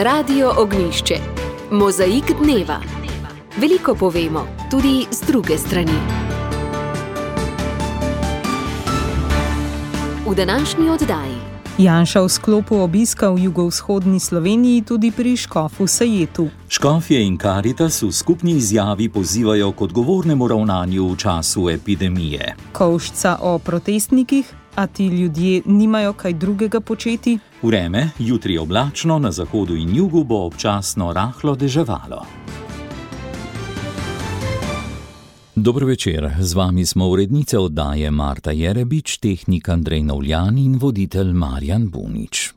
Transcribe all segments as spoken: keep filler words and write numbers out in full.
Radio Ognjišče. Mozaik dneva. Veliko povemo, tudi z druge strani. V današnji oddaji. Janša v sklopu obiska v jugovzhodni Sloveniji tudi pri škofu Sajetu. Škofje in Karitas v skupni izjavi pozivajo k odgovornemu ravnanju v času epidemije. Kovšca o protestnikih, a ti ljudje nimajo kaj drugega početi? Vreme, jutri oblačno, na zahodu in jugu bo občasno rahlo deževalo. Dobro večer, z vami smo urednice oddaje Marta Jerebič, tehnik Andrej Novljan in voditelj Marjan Bunič.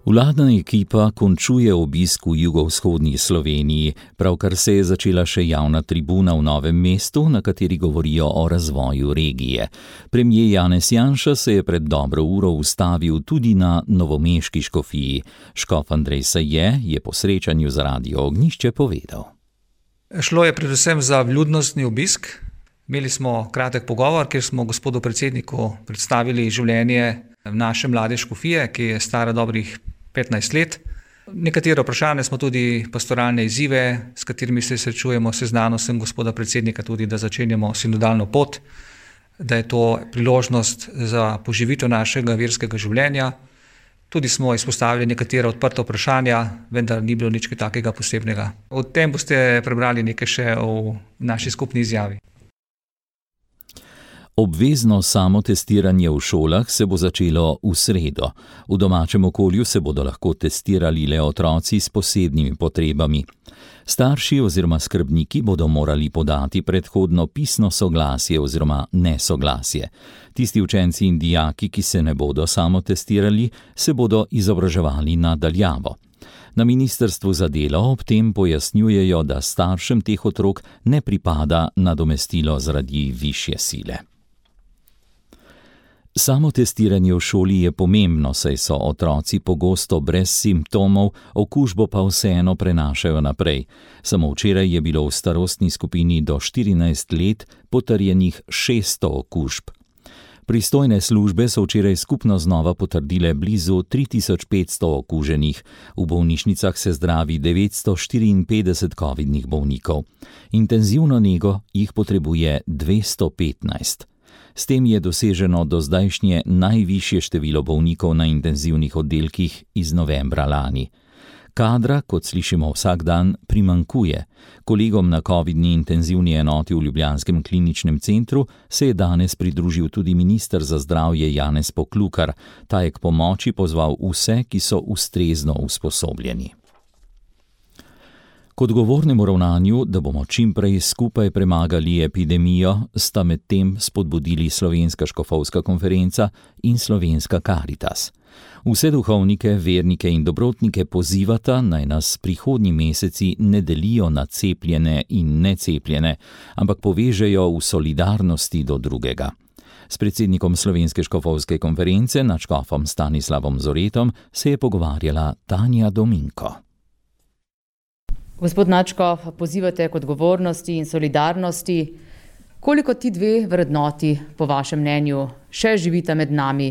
Vladna ekipa končuje obisk v jugovzhodni Sloveniji, pravkar se je začela še javna tribuna v Novem mestu, na kateri govorijo o razvoju regije. Premier Janez Janša se je pred dobro uro ustavil tudi na novomeški škofiji. Škof Andrej Saje je po srečanju z Radio Ognjišče povedal. Šlo je predvsem za vljudnostni obisk. Imeli smo kratek pogovor, kjer smo gospodu predsedniku predstavili življenje naše mlade škofije, ki je stara dobrih petnajst let. Nekatere vprašanja smo tudi pastoralne izzive, s katerimi se srečujemo, seznanil sem gospoda predsednika tudi, da začenjamo sinodalno pot, da je to priložnost za poživitev našega verskega življenja. Tudi smo izpostavili nekatera odprta vprašanja, vendar ni bilo nič takega posebnega. O tem boste prebrali nekaj še v naši skupni izjavi. Obvezno samotestiranje v šolah se bo začelo v sredo. V domačem okolju se bodo lahko testirali le otroci s posebnimi potrebami. Starši oziroma skrbniki bodo morali podati predhodno pisno soglasje oziroma nesoglasje. Tisti učenci in dijaki, ki se ne bodo samotestirali, se bodo izobraževali na daljavo. Na ministrstvu za delo ob tem pojasnjujejo, da staršem teh otrok ne pripada nadomestilo zaradi višje sile. Samotestiranje v šoli je pomembno, saj so otroci pogosto brez simptomov, okužbo pa vseeno prenašajo naprej. Samo včeraj je bilo v starostni skupini do štirinajst let potrjenih šeststo okužb. Pristojne službe so včeraj skupno znova potrdile blizu tri tisoč petsto okuženih. V bolnišnicah se zdravi devetsto štiriinpetdeset covidnih bolnikov. Intenzivno nego jih potrebuje dvesto petnajst. S tem je doseženo do zdajšnje najvišje število bolnikov na intenzivnih oddelkih iz novembra lani. Kadra, kot slišimo vsak dan, primanjkuje. Kolegom na covidni intenzivni enoti v ljubljanskem kliničnem centru se je danes pridružil tudi minister za zdravje Janez Poklukar. Ta je k pomoči pozval vse, ki so ustrezno usposobljeni. K odgovornemu ravnanju, da bomo čim prej skupaj premagali epidemijo, sta med tem spodbudili Slovenska škofovska konferenca in Slovenska Karitas. Vse duhovnike, vernike in dobrotnike pozivata, naj nas prihodnji meseci ne delijo na cepljene in necepljene, ampak povežejo v solidarnosti do drugega. S predsednikom Slovenske škofovske konference, nadškofom Stanislavom Zoretom, se je pogovarjala Tanja Dominko. Gospod nadškof, pozivate k odgovornosti in solidarnosti. Koliko ti dve vrednoti, po vašem mnenju, še živita med nami?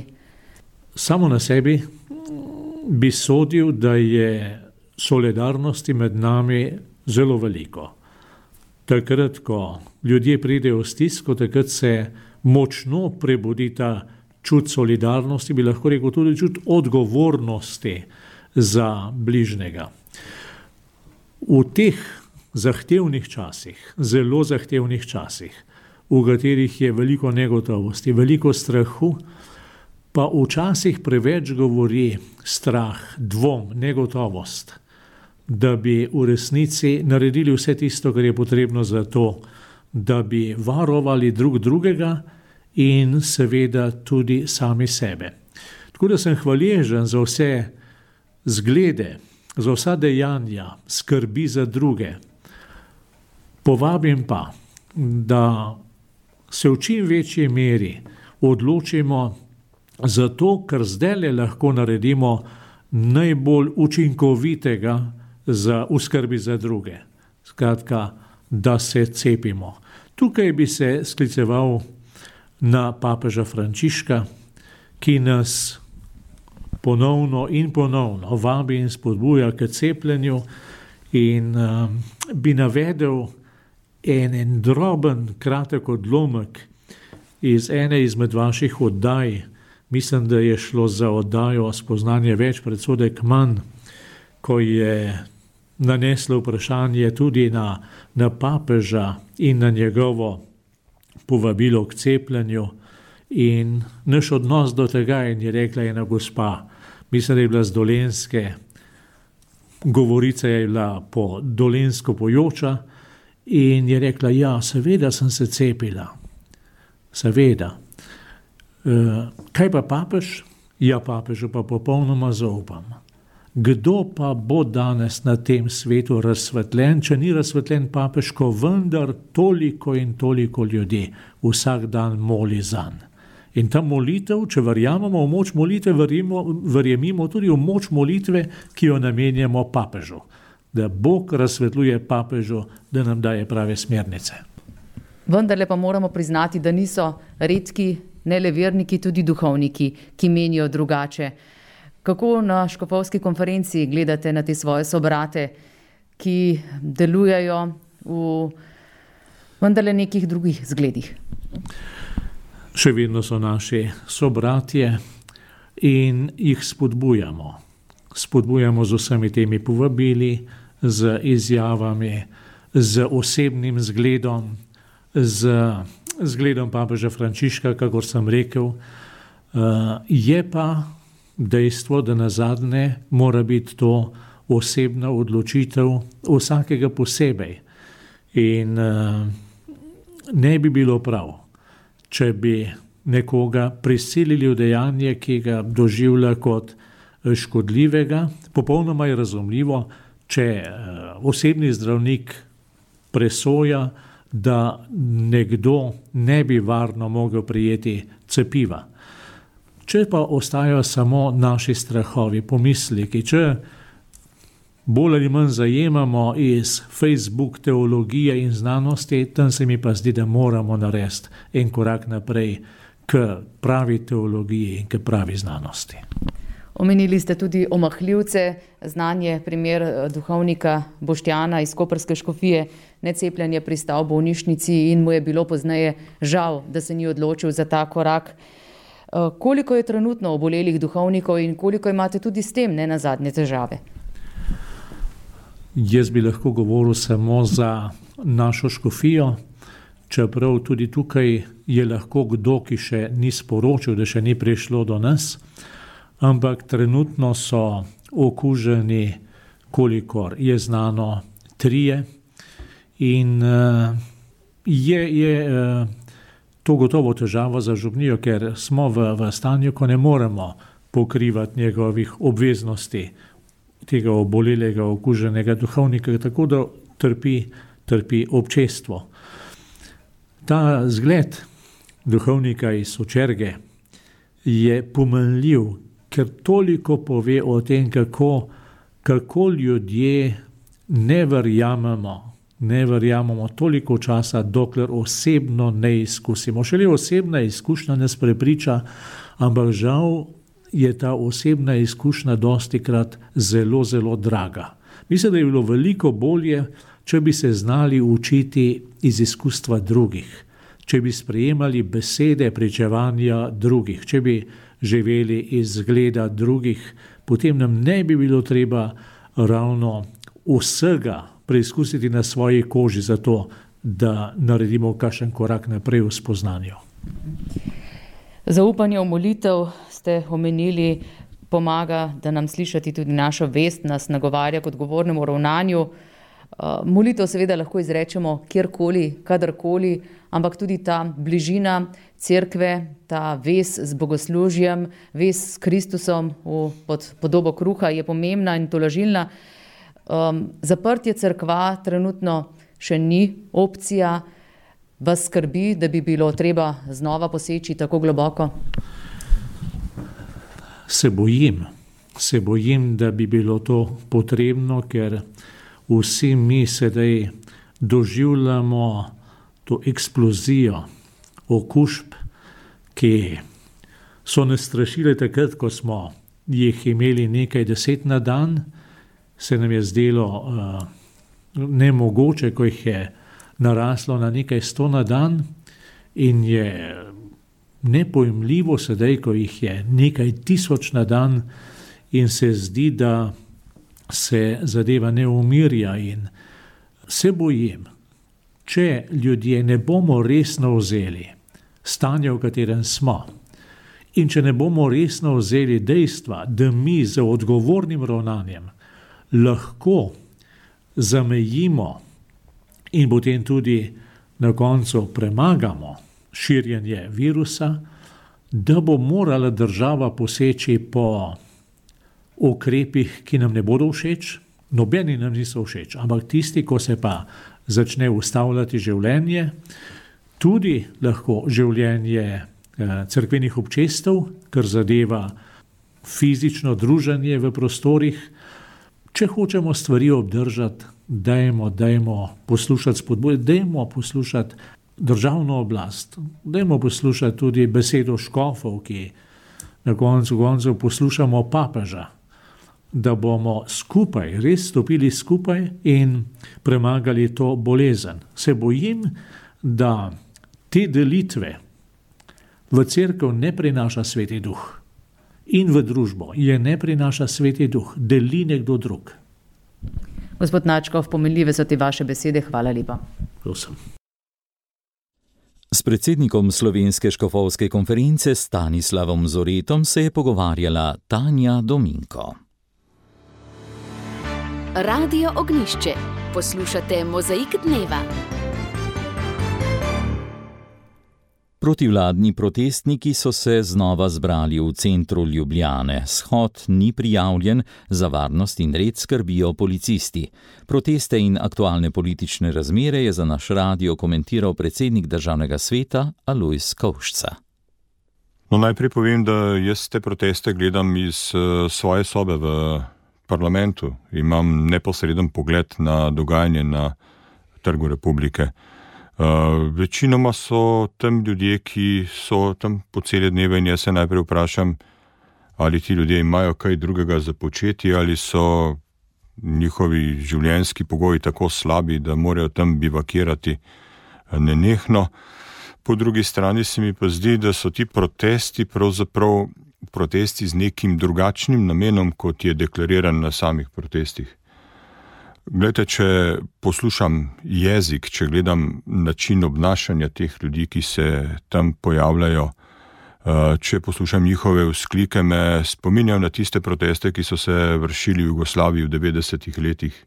Samo na sebi bi sodil, da je solidarnosti med nami zelo veliko. Takrat, ko ljudje pridejo v stisko, takrat se močno prebudi ta čut solidarnosti, bi lahko rekel tudi čut odgovornosti za bližnjega. V teh zahtevnih časih, zelo zahtevnih časih, v katerih je veliko negotovosti, veliko strahu, pa včasih preveč govori strah, dvom, negotovost, da bi v resnici naredili vse tisto, kar je potrebno za to, da bi varovali drug drugega in seveda tudi sami sebe. Tako da sem hvaležen za vse zglede, za vsa dejanja, skrbi za druge. Povabim pa, da se v čim večji meri odločimo za to, kar zdajle lahko naredimo najbolj učinkovitega za v skrbi za druge. Skratka, da se cepimo. Tukaj bi se skliceval na papeža Frančiška, ki nas ponovno in ponovno vabi in spodbuja k cepljenju, in um, bi navedel en, en droben, kratek odlomek iz ene izmed vaših oddaj. Mislim, da je šlo za oddajo Spoznanje več, predsodek manj, ko je naneslo vprašanje tudi na, na papeža in na njegovo povabilo k cepljenju in naš odnos do tega, in je rekla ena gospa, mislim, da je bila z Dolenjske, govorica je bila po dolenjsko pojoča, in je rekla, ja, seveda sem se cepila, seveda. E, kaj pa papež? Ja, papežu pa popolnoma zaupam. Kdo pa bo danes na tem svetu razsvetljen, če ni razsvetljen papež, ko vendar toliko in toliko ljudi vsak dan moli zanj. In ta molitev, če verjamemo v moč molitve, verjemimo tudi v moč molitve, ki jo namenjamo papežu. Da Bog razsvetljuje papežu, da nam daje prave smernice. Vendarle pa moramo priznati, da niso redki, ne le verniki, tudi duhovniki, ki menijo drugače. Kako na škofovski konferenci gledate na te svoje sobrate, ki delujejo v vendarle nekih drugih zgledih? Še vedno so naši sobratje in jih spodbujamo. Spodbujamo z vsemi temi povabili, z izjavami, z osebnim zgledom, z zgledom papeža Frančiška, kakor sem rekel. Je pa dejstvo, da nazadnje mora biti to osebna odločitev vsakega posebej. In ne bi bilo prav, če bi nekoga prisilili v dejanje, ki ga doživlja kot škodljivega. Popolnoma je razumljivo, če osebni zdravnik presoja, da nekdo ne bi varno mogel prijeti cepiva. Če pa ostajajo samo naši strahovi, pomisleki, če bolj ali manj zajemamo iz Facebook teologije in znanosti, tam se mi pa zdi, da moramo narediti en korak naprej k pravi teologiji in k pravi znanosti. Omenili ste tudi omahljivce, znanje primer duhovnika Boštjana iz koprske škofije, necepljenje pristal v bolnišnici in mu je bilo pozneje žal, da se ni odločil za ta korak. Koliko je trenutno obolelih duhovnikov in koliko imate tudi s tem ne nazadnje težave? Jaz bi lahko govoril samo za našo škofijo, čeprav tudi tukaj je lahko kdo, ki še ni sporočil, da še ni prišlo do nas, ampak trenutno so okuženi, kolikor je znano, trije in uh, je, je uh, to gotovo težava za župnijo, ker smo v, v stanju, ko ne moremo pokrivati njegovih obveznosti tega obolelega, okuženega duhovnika, tako da trpi, trpi občestvo. Ta zgled duhovnika iz Sočerge je pomenljiv, ker toliko pove o tem, kako, kako ljudje ne verjamemo, ne verjamemo toliko časa, dokler osebno ne izkusimo. Šele osebna izkušnja nas prepriča, ampak žal je ta osebna izkušnja dostikrat zelo, zelo draga. Mislim, da je bilo veliko bolje, če bi se znali učiti iz izkustva drugih, če bi sprejemali besede pričevanja drugih, če bi živeli iz zgleda drugih, potem nam ne bi bilo treba ravno vsega preizkusiti na svoji koži za to, da naredimo kakšen korak naprej v spoznanju. Zaupanje v molitev ste omenili, pomaga, da nam slišati tudi našo vest, nas nagovarja k odgovornemu ravnanju. Molitev seveda lahko izrečemo kjerkoli, kadarkoli, ampak tudi ta bližina cerkve, ta vez z bogoslužjem, vez s Kristusom v pod podobo kruha je pomembna in tolažilna. Um, zaprtje cerkva trenutno še ni opcija. Vas skrbi, da bi bilo treba znova poseči tako globoko? Se bojim, se bojim, da bi bilo to potrebno, ker vsi mi sedaj doživljamo to eksplozijo okužb, ki so nas strašile takrat, ko smo jih imeli nekaj deset na dan, se nam je zdelo uh, nemogoče, ko jih je naraslo na nekaj sto na dan, in je nepojmljivo sedaj, ko jih je nekaj tisoč na dan, in se zdi, da se zadeva ne umirja, in se bojim, če ljudje ne bomo resno vzeli stanja, v katerem smo, in če ne bomo resno vzeli dejstva, da mi z odgovornim ravnanjem lahko zamejimo in potem tudi na koncu premagamo širjenje virusa, da bo morala država poseči po ukrepih, ki nam ne bodo všeč, nobeni nam niso všeč, ampak tisti, ko se pa začne ustavljati življenje, tudi lahko življenje eh, cerkvenih občestev, kar zadeva fizično druženje v prostorih. Če hočemo stvari obdržati, dajmo, dajmo poslušati spodbude, dajmo poslušati državno oblast, dajmo poslušati tudi besedo škofov, ki na koncu koncev poslušamo papeža, da bomo skupaj, res stopili skupaj in premagali to bolezen. Se bojim, da te delitve v cerkev ne prinaša Sveti Duh in v družbo je ne prinaša Sveti Duh, deli nekdo drug. Gospod Načkov, pomenljive so te vaše besede, hvala lepa. Prosim. S predsednikom Slovenske škofovske konference Stanislavom Zoretom se je pogovarjala Tanja Dominko. Radio Ognjišče. Poslušate Mozaik dneva. Protivladni protestniki so se znova zbrali v centru Ljubljane. Shod ni prijavljen, za varnost in red skrbijo policisti. Proteste in aktualne politične razmere je za naš radio komentiral predsednik Državnega sveta Alojz Kovšca. No, najprej povem, da jaz te proteste gledam iz uh, svoje sobe v parlamentu. Imam neposreden pogled na dogajanje na Trgu Republike. Uh, večinoma so tam ljudje, ki so tam po cele dneve, in jaz se najprej vprašam, ali ti ljudje imajo kaj drugega za početi, ali so njihovi življenjski pogoji tako slabi, da morajo tam bivakirati nenehno. Po drugi strani se mi pa zdi, da so ti protesti pravzaprav protesti z nekim drugačnim namenom, kot je deklariran na samih protestih. Glejte, če poslušam jezik, če gledam način obnašanja teh ljudi, ki se tam pojavljajo, če poslušam njihove vzklike, me spominjajo na tiste proteste, ki so se vršili v Jugoslaviji v devetdesetih letih.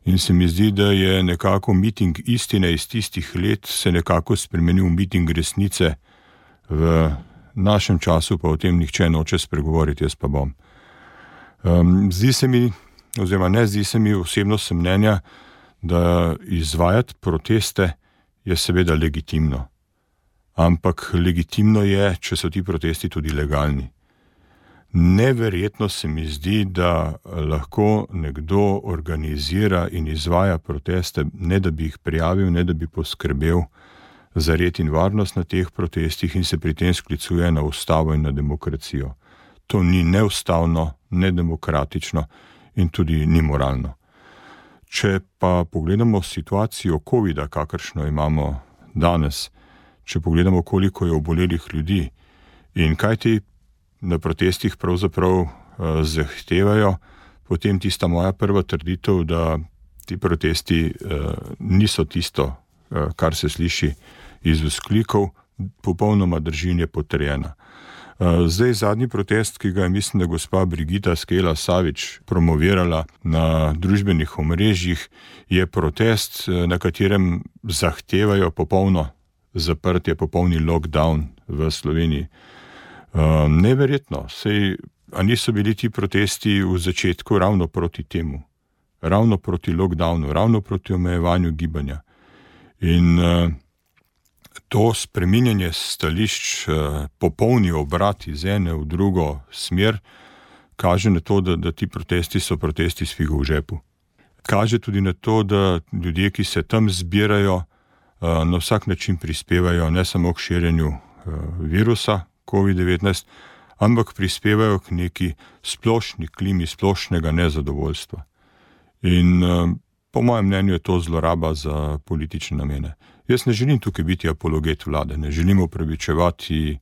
In se mi zdi, da je nekako miting istine iz tistih let se nekako spremenil v miting resnice. V našem času pa o tem nihče noče spregovoriti, jaz pa bom. Um, zdi se mi, oziroma ne zdi se mi, osebno sem mnenja, da izvajati proteste je seveda legitimno. Ampak legitimno je, če so ti protesti tudi legalni. Neverjetno se mi zdi, da lahko nekdo organizira in izvaja proteste, ne da bi jih prijavil, ne da bi poskrbel za red in varnost na teh protestih in se pri tem sklicuje na ustavo in na demokracijo. To ni neustavno, nedemokratično in tudi ni moralno. Če pa pogledamo situacijo covida, kakršno imamo danes, če pogledamo, koliko je obolelih ljudi in kaj ti na protestih pravzaprav uh, zahtevajo, potem tista moja prva trditev, da ti protesti uh, niso tisto, uh, kar se sliši iz vzklikov, popolnoma drži, je potrjena. Uh, zdaj zadnji protest, ki ga je, mislim, da gospa Brigita Skela Savič promovirala na družbenih omrežjih, je protest, na katerem zahtevajo popolno zaprtje, popolni lockdown v Sloveniji. Uh, neverjetno, sej, a niso bili ti protesti v začetku ravno proti temu, ravno proti lockdownu, ravno proti omejevanju gibanja. In uh, to spreminjanje stališč, uh, popolni obrat iz ene v drugo smer, kaže na to, da, da ti protesti so protesti s figo v žepu. Kaže tudi na to, da ljudje, ki se tam zbirajo, uh, na vsak način prispevajo ne samo k širjenju uh, virusa, covid devetnajst, ampak prispevajo k neki splošni klimi splošnega nezadovoljstva. In po mojem mnenju je to zloraba za politične namene. Jaz ne želim tukaj biti apologet vlade, ne želim upravičevati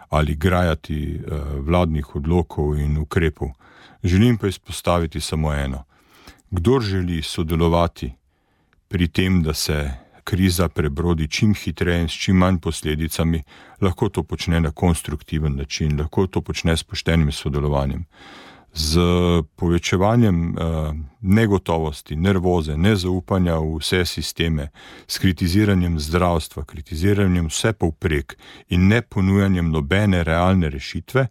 ali grajati vladnih odlokov in ukrepov. Želim pa izpostaviti samo eno. Kdor želi sodelovati pri tem, da se kriza prebrodi čim hitreje in s čim manj posledicami, lahko to počne na konstruktiven način, lahko to počne s poštenim sodelovanjem. Z povečevanjem eh, negotovosti, nervoze, nezaupanja v vse sisteme, s kritiziranjem zdravstva, kritiziranjem vse povprek in ne ponujanjem nobene realne rešitve,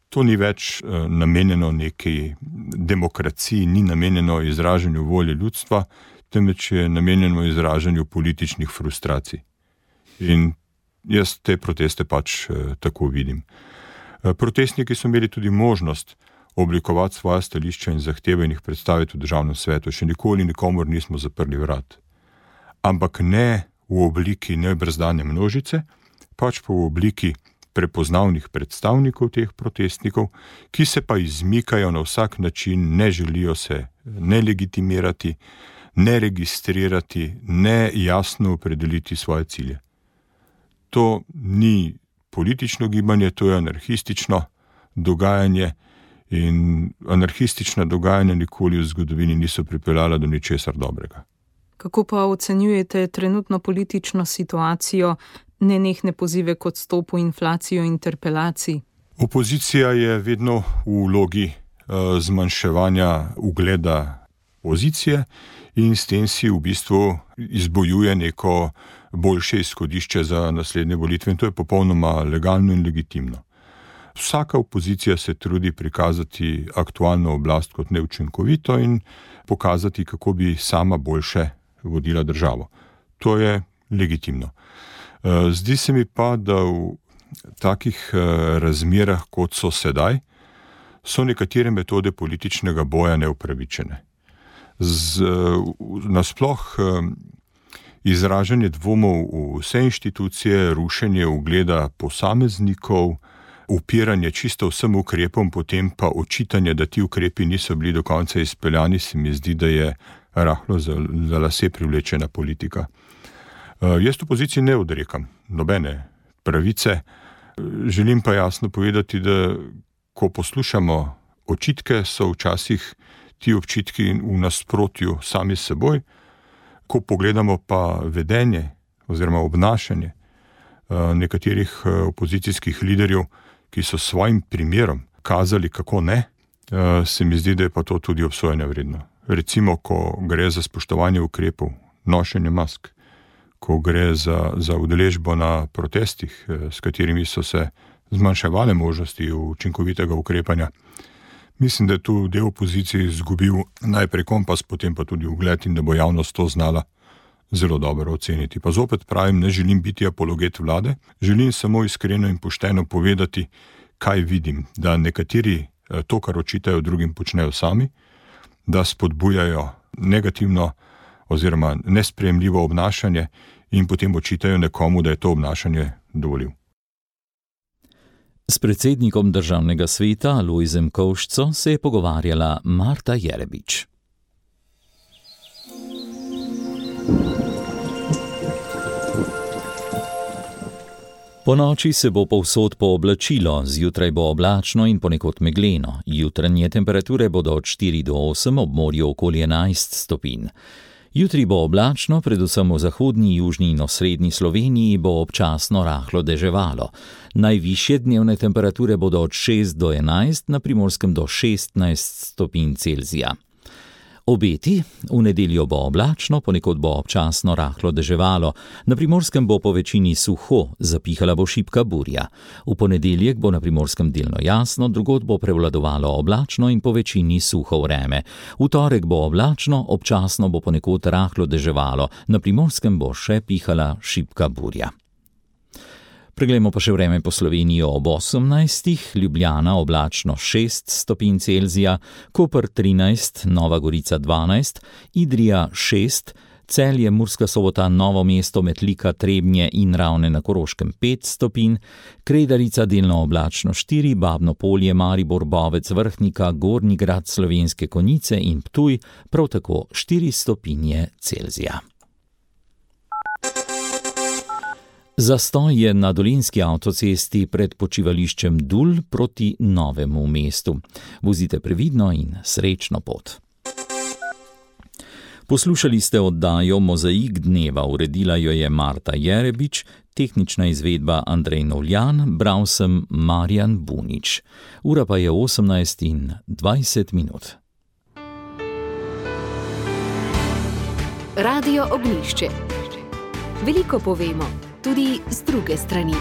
to ni več eh, namenjeno neki demokraciji, ni namenjeno izražanju volje ljudstva, temveč je namenjeno izražanju političnih frustracij. In jaz te proteste pač eh, tako vidim. Eh, protestniki so imeli tudi možnost oblikovati svoje stališča in zahteve in jih predstaviti v državnem svetu. Še nikoli nikomor nismo zaprli vrat. Ampak ne v obliki nebrzdane množice, pač pa v obliki prepoznavnih predstavnikov teh protestnikov, ki se pa izmikajo na vsak način, ne želijo se ne legitimirati, ne registrirati, ne jasno opredeliti svoje cilje. To ni politično gibanje, to je anarhistično dogajanje in anarhistična dogajanja nikoli v zgodovini niso pripeljala do ničesar dobrega. Kako pa ocenjujete trenutno politično situacijo, nenehne pozive k odstopu, inflacijo, interpelacij? Opozicija je vedno v vlogi uh, zmanjševanja ugleda pozicije in s tem si v bistvu izbojuje neko boljše izhodišče za naslednje volitve in to je popolnoma legalno in legitimno. Vsaka opozicija se trudi prikazati aktualno oblast kot neučinkovito in pokazati, kako bi sama boljše vodila državo. To je legitimno. Zdi se mi pa, da v takih razmerah, kot so sedaj, so nekatere metode političnega boja neupravičene. Z, nasploh izražanje dvomov v vse inštitucije, rušenje ugleda posameznikov, upiranje čisto vsem ukrepom, potem pa očitanje, da ti ukrepi niso bili do konca izpeljani, se mi zdi, da je rahlo za, za lase privlečena politika. Uh, jaz opoziciji ne odrekam nobene pravice, želim pa jasno povedati, da ko poslušamo očitke, so včasih ti občitki v nasprotju sami s seboj, ko pogledamo pa vedenje oziroma obnašanje uh, nekaterih uh, opozicijskih liderjev, ki so svojim primerom kazali, kako ne, uh, se mi zdi, da je pa to tudi obsojanja vredno. Recimo, ko gre za spoštovanje ukrepov, nošenje mask, ko gre za, za udeležbo na protestih, s katerimi so se zmanjševale možnosti učinkovitega ukrepanja. Mislim, da je tu del opozicije izgubil najprej kompas, potem pa tudi ugled in da bo javnost to znala zelo dobro oceniti. Pa zopet pravim, ne želim biti apologet vlade, želim samo iskreno in pošteno povedati, kaj vidim, da nekateri to, kar očitajo drugim, počnejo sami, da spodbujajo negativno oziroma nesprejemljivo obnašanje in potem očitajo nekomu, da je to obnašanje dovolil. S predsednikom državnega sveta Lojzem Kovšco se je pogovarjala Marta Jerebič. Po noči se bo povsod pooblačilo, zjutraj bo oblačno in ponekod megleno. Jutranje temperature bodo od štiri do osem, ob morju okoli enajst stopinj. Jutri bo oblačno, predvsem v zahodni, južni in osrednji Sloveniji bo občasno rahlo deževalo. Najvišje dnevne temperature bodo od šest do enajst, na Primorskem do šestnajst stopinj Celzija. Obeti: v nedeljo bo oblačno, ponekod bo občasno rahlo deževalo, na Primorskem bo po večini suho, zapihala bo šibka burja. V ponedeljek bo na Primorskem delno jasno, drugod bo prevladovalo oblačno in po večini suho vreme. V torek bo oblačno, občasno bo ponekod rahlo deževalo, na Primorskem bo še pihala šibka burja. Preglejmo pa še vreme po Sloveniji ob osemnajstih, Ljubljana oblačno šest stopinj Celzija, Koper trinajst, Nova Gorica dvanajst, Idrija šest, Celje, Murska Sobota, Novo mesto, Metlika, Trebnje in Ravne na Koroškem pet stopinj, Kredarica delno oblačno štiri, Babno Polje, Maribor, Bovec, Vrhnika, Gornji Grad, Slovenske Konjice in Ptuj prav tako štiri stopinje Celzija. Zastoj je na dolenjski avtocesti pred počivališčem Dul proti Novemu mestu. Vozite previdno in srečno pot. Poslušali ste oddajo Mozaik dneva, uredila jo je Marta Jerebič, tehnična izvedba Andrej Novljan, bral sem Marjan Bunič. Ura pa je osemnajst in dvajset minut. Radio Ognjišče. Veliko povemo, tudi z druge strani.